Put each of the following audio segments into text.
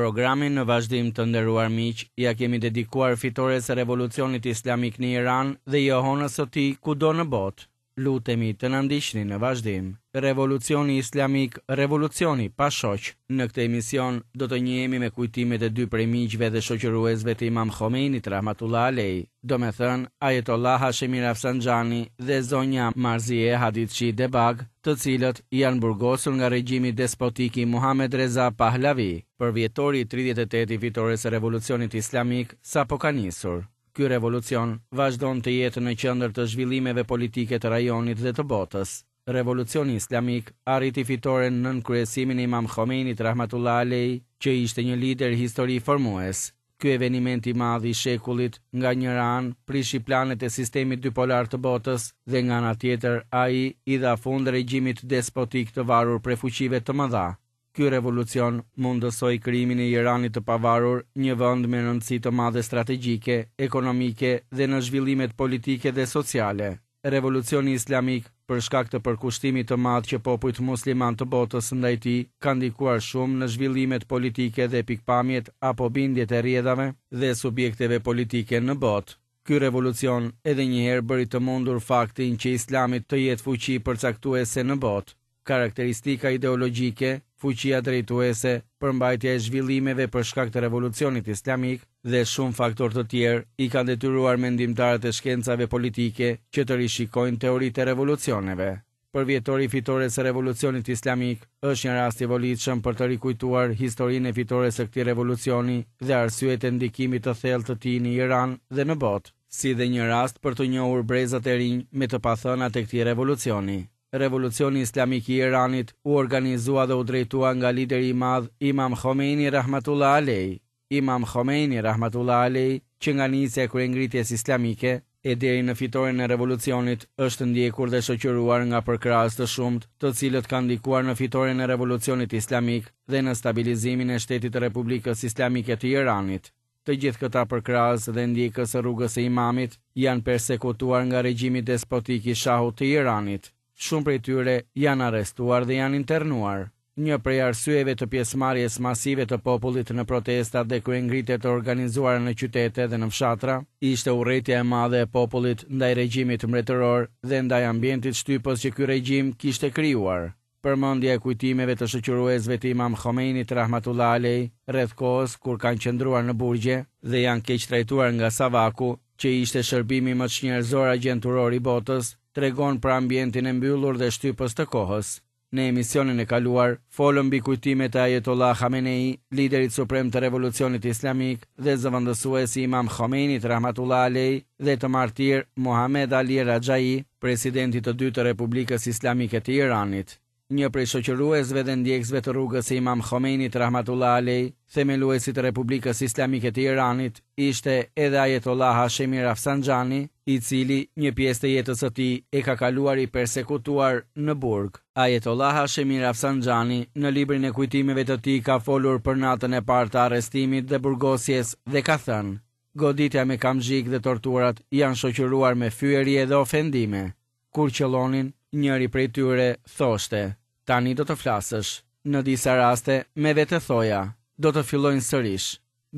Programin në vazhdim të nderuar miq ia kemi dedikuar fitores së Revolucionit Islamik në Iran dhe jehonës së tij kudo në botë. Lutemi të na ndiqni në vazhdim. Revolucioni Islamik, revolucioni pa shoq. Në këtë emision do të njihemi me kujtimet e dy prej miqve dhe shoqëruesve të Imam Khomeinit rahmatullah alejh, domethënë Ajetollah Hashemi Rafsanjani dhe zonja Marzieh Haditchi Debagh, të cilët janë burgosur nga regjimi despotik i Muhamed Reza Pahlavi. Përvjetori i 38 i fitores së Revolucionit Islamik sapo ka nisur. Ky revolucion vazhdon të jetë në qendër të zhvillimeve politike të rajonit dhe të botës. Revolucioni Islamik arriti fitoren nën kryesimin e Imam Khomeinit rahmatullah alejh, që ishte një lider historiformues. Ky eveniment i madh i shekullit, nga njëra anë, prishi planet e sistemit dypolar të botës dhe nga ana tjetër ai i dha fund regjimit despotik të varur prej fuqive të mëdha. Ky revolucion mundësoi krijimin e Iranit të pavarur, një vend me rëndësi të madhe strategjike, ekonomike dhe në zhvillimet politike dhe sociale. Revolucioni Islamik, për shkak të përkushtimit të madh që popujt muslimanë të botës ndaj tij, ka ndikuar shumë në zhvillimet politike dhe pikëpamjet apo bindjet e rrjedhave dhe subjekteve politike në botë. Ky revolucion edhe një herë bëri të mundur faktin që Islami të jetë fuqi përcaktuese në botë. Karakteristika ideologjike, fuqia drejtuese, përmbajtja e zhvillimeve për shkak të revolucionit islamik dhe shumë faktorë të tjerë i kanë detyruar mendimtarët e shkencave politike që të rishikojnë teoritë e revolucioneve. Përvjetori i fitores së Revolucionit Islamik është një rast i volitshëm për të rikujtuar historinë e fitores së këtij revolucioni dhe arsyet e ndikimit të thellë të tij në Iran dhe në botë, si dhe një rast për të njohur brezat e rinj me të pathënat e këtij revolucioni. Revolucioni Islamik i Iranit u organizua dhe u drejtua nga lideri i madh Imam Khomeini rahmatullah alejh. Imam Khomeini rahmatullah alejh që nga nisja e kryengritjes islamike e deri në fitoren e revolucionit është ndjekur dhe shoqëruar nga përkrahës të shumtë të cilët kanë ndikuar në fitoren e revolucionit islamik dhe në stabilizimin e shtetit të Republikës Islamike të Iranit. Të gjithë këta përkrahës dhe ndjekës së rrugës së Imamit janë persekutuar nga regjimi despotik i Shahut të Iranit. Shumë prej tyre janë arrestuar dhe janë internuar. Një prej arsyeve të pjesëmarrjes masive të popullit në protestat dhe kryengritjet e organizuara në qytete dhe në fshatra, ishte urrejtja e madhe e popullit ndaj regjimit mbretëror dhe ndaj ambientit shtypës që ky regjim kishte krijuar. Përmendja e kujtimeve të shoqëruesve të Imam Khomeinit rahmatullah alejh rreth kohës kur kanë qëndruar në burgje dhe janë keqtrajtuar nga Savaku, që ishte shërbimi më çnjerëzor agjenturor i botës, tregon për ambientin e mbyllur dhe shtypës të kohës. Në emisionin e kaluar, folëm mbi kujtimet e Ajetollah Khamenei, liderit suprem të Revolucionit Islamik dhe zëvendësues i Imam Khomeinit rahmatullah alejh dhe të martir Mohammad Ali Rajai, presidentit të dytë të Republikës Islamike të Iranit. Një prej shoqëruesve dhe ndjekësve të rrugës së Imam Khomeinit rahmatullah alejh, themeluesit të Republikës Islamike të Iranit, ishte edhe Ajetollah Hashemi Rafsanjani, i cili një pjesë të jetës së tij e ka kaluar i persekutuar në burg. Ajetollah Hashemi Rafsanjani në librin e kujtimeve të tij ka folur për natën e parë të arrestimit dhe burgosjes dhe ka thënë, Goditja me kamxhik dhe torturat janë shoqëruar me fyerje dhe ofendime. Kur qëllonin, njëri prej tyre thoshte, Tani do të flasësh. Në disa raste, me vete thoja, Do të fillojnë sërish.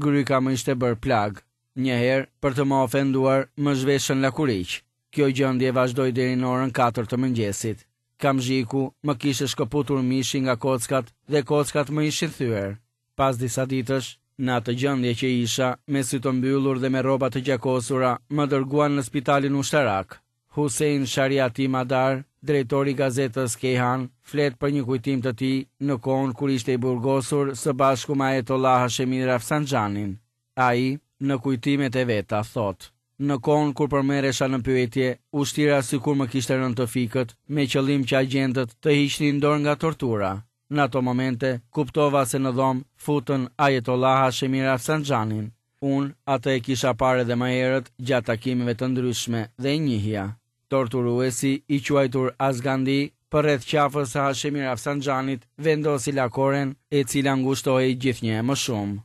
Gryka më ishte bërë plagë. Një herë, për të më ofenduar, më zhveshën lakuriq. Kjo gjendje vazhdoi deri në orën 4 të mëngjesit. Kamxhiku më kishte shkëputur mishin nga kockat dhe kockat më ishin thyer. Pas disa ditësh, në atë gjendje që isha, me sy të mbyllur dhe me rroba të gjakosura, më dërguan në spitalin ushtarak. Hussein Shariati Madar, drejtori i gazetës Kejhan, flet për një kujtim të tij në kohën kur ishte i burgosur së bashku me Ajetollah Hashemi Rafsanjanin. Ai, në kujtimet e veta, thotë: Në kohën kur po merresha në pyetje, u shtira sikur më kishte rënë të fikët, me qëllim që agjentët të hiqnin dorë nga tortura. Në ato momente, kuptova se në dhomë futën Ajetollah Hashemi Rafsanjanin. Unë atë e kisha parë edhe më herët gjatë takimeve të ndryshme dhe e njihja. Torturuesi, i quajtur Azgandi, përreth qafës së Hashemi Rafsanjanit vendosi lakoren, e cila ngushtohej gjithnjë e më shumë.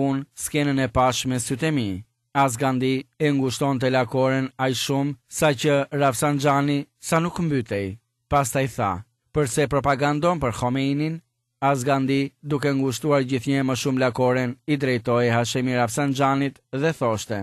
Unë skenën e pashë me sytë e mi. Azgandi e ngushtonte lakoren aq shumë saqë Rafsanjani sa nuk mbytej. Pastaj tha, Përse propagandon për Khomeinin? Azgandi, duke ngushtuar gjithnjë e më shumë lakoren, i drejtohej Hashemi Rafsanxhanit dhe thoshte,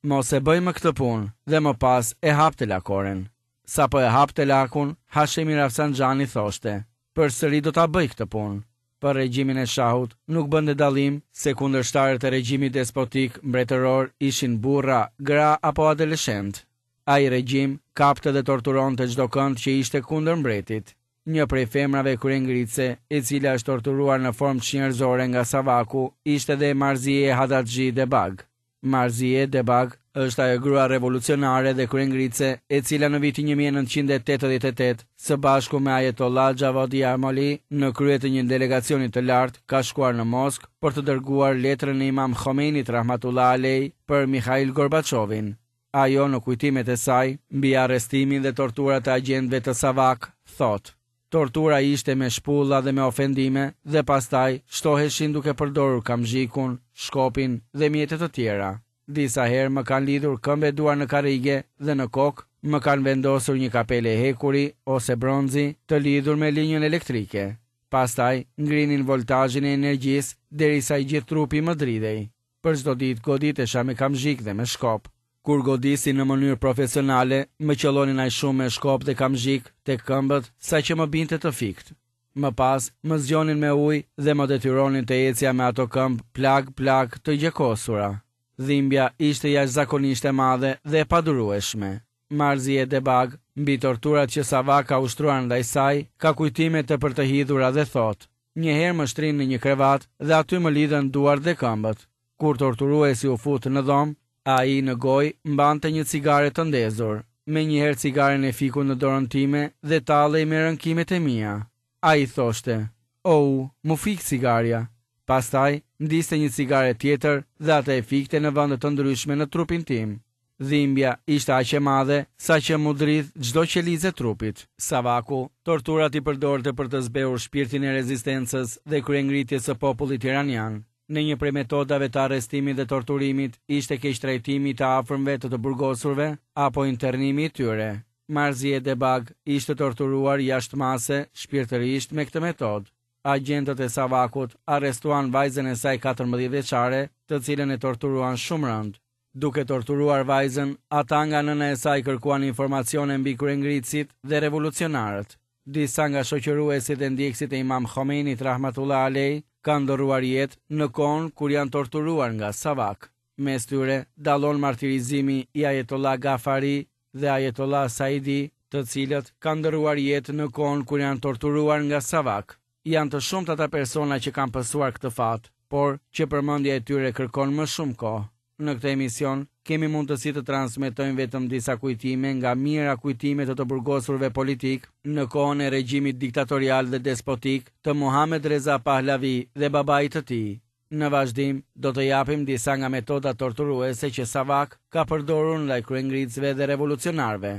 Mos e bëj më këtë punë, dhe më pas e hapte lakoren. Sapo e hapte lakun, Hashemi Rafsanxhani thoshte, Përsëri do ta bëj këtë punë. Për regjimin e Shahut nuk bënte dallim se kundërshtarët e regjimit despotik mbretëror ishin burra, gra apo adoleshentë. Ai regjim kapte dhe torturonte çdokënd që ishte kundër mbretit. Një prej femrave kryengritëse, e cila është torturuar në formë çnjerëzore nga Savaku, ishte dhe Marzie Hadadji Debag. Marzie Debag është ajo grua revolucionare dhe kryengritëse, e cila në vitin 1988, së bashku me Ajetollah Javadi Amoli, në krye të një delegacioni të lartë, ka shkuar në Moskë për të dërguar letrën e Imam Khomeinit rahmatullah alejh për Mikhail Gorbaçovin. Ajo në kujtimet e saj mbi arrestimin dhe torturat e agjentëve të Savak, thotë, Tortura ishte me shpulla dhe me ofendime dhe pastaj shtoheshin duke përdorur kamzhikun, shkopin dhe mjete të tjera. Disa herë më kanë lidhur këmbë e duar në karrige dhe në kokë më kanë vendosur një kapele hekuri ose bronzi të lidhur me linjën elektrike. Pastaj ngrinin voltazhin e energjisë derisa i gjithë trupi më dridhej. Për çdo ditë goditesha me kamzhik dhe me shkop. Kur godisnin në mënyrë profesionale, më qëllonin aq shumë me shkop dhe kamzhik tek këmbët, saqë më binte të fiktë. Më pas, më zgjonin me ujë dhe më detyronin të ecja me ato këmbë plagë-plagë të gjakosura. Dhimbja ishte jashtëzakonisht e madhe dhe e padurueshme. Marzie Debag, mbi torturat që Savak ka ushtruar ndaj saj, ka kujtime tepër të hidhura dhe thotë, Një herë më shtrinë në një krevat dhe aty më lidhën duart dhe këmbët. Kur torturuesi u fut në dhomë, ai në gojë mbante një cigare të ndezur. Menjëherë cigaren e fiku në dorën time dhe tallej me rënkimet e mia. Ai thoshte, Ou, m'u fik cigarja. Pastaj, ndizte një cigare tjetër dhe atë e fikte në vende të ndryshme në trupin tim. Dhimbja ishte aq e madhe, saqë m'u dridh çdo qelizë e trupit. Savaku, torturat i përdorte për të zbehur shpirtin e rezistencës dhe kryengritjes së popullit iranian. Në një prej metodave të arrestimit dhe torturimit ishte keqtrajtimi i të afërmve të të burgosurve apo internimi i tyre. Marzie Debag ishte torturuar jashtë mase shpirtërisht me këtë metodë. Agjentët e Savakut arrestuan vajzën e saj 14 vjeçare, të cilën e torturuan shumë rëndë. Duke torturuar vajzën, ata nga nëna e saj kërkuan informacione mbi kryengritësit dhe revolucionarët. Disa nga shoqëruesit dhe ndjekësit e Imam Khomeinit rahmatullah alejh kanë ndërruar jetë në kohën kur janë torturuar nga Savak. Mes tyre dallon martirizimi i Ajetollah Ghaffari dhe Ajetollah Saidi, të cilët kanë ndërruar jetë në kohën kur janë torturuar nga Savak. Janë të shumtë ata persona që kanë pësuar këtë fat, por që përmendja e tyre kërkon më shumë kohë. Në këtë emision kemi mundësi të transmetojmë vetëm disa kujtime nga mijëra kujtime të të burgosurve politikë në kohën e regjimit diktatorial dhe despotik të Muhamed Reza Pahlavi dhe babait të tij. Në vazhdim, do të japim disa nga metodat torturuese që Savak ka përdorur ndaj kryengritësve dhe revolucionarëve.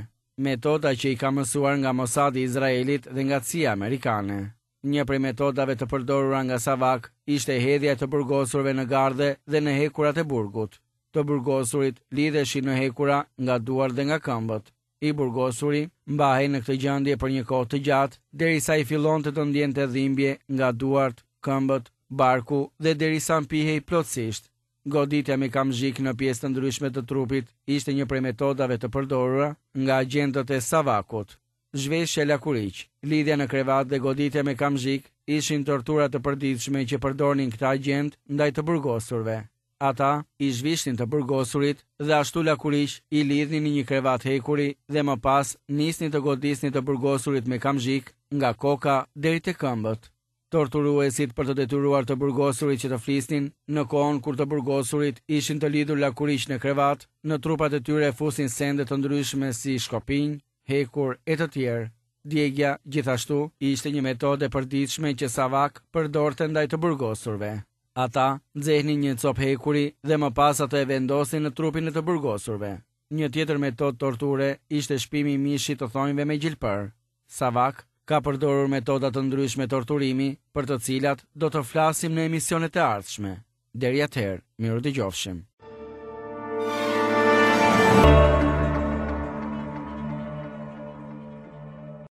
Metoda që i ka mësuar nga Mossadi i Izraelit dhe nga CIA amerikane. Një prej metodave të përdorura nga Savak ishte hedhja e të burgosurve në gardhe dhe në hekurat e burgut. Të burgosurit lidheshin në hekura nga duart dhe nga këmbët. I burgosuri mbahej në këtë gjendje për një kohë të gjatë, derisa ai fillonte të ndjente dhimbje nga duart, këmbët, barku dhe derisa mpihej plotësisht. Goditja me kamzhik në pjesë të ndryshme të trupit ishte një prej metodave të përdorura nga agjentët e Savakut. Zhveshja lakuriq, lidhja në krevat dhe goditja me kamzhik ishin tortura të përditshme që përdornin këta agjentë ndaj të burgosurve. Ata i zhvishnin të burgosurit dhe ashtu lakuriq i lidhnin në një krevat hekuri dhe më pas nisnin të godisnin të burgosurit me kamzhik nga koka deri te këmbët. Torturuesit për të detyruar të burgosurit që të flisnin, në kohën kur të burgosurit ishin të lidhur lakuriq në krevat, në trupat e tyre fusnin sende të ndryshme si shkopinj, hekur e të tjerë. Djegia, gjithashtu, ishte një metodë e përditshme që Savak përdorte ndaj të burgosurve. Ata nxehnin një copë hekuri dhe më pas atë e vendosnin në trupin e të burgosurve. Një tjetër metodë torture ishte shpimi i mishit të thonjve me gjilpërë. Savak ka përdorur metoda të ndryshme torturimi, për të cilat do të flasim në emisionet e ardhshme. Deri atëherë, mirudëgjofshim.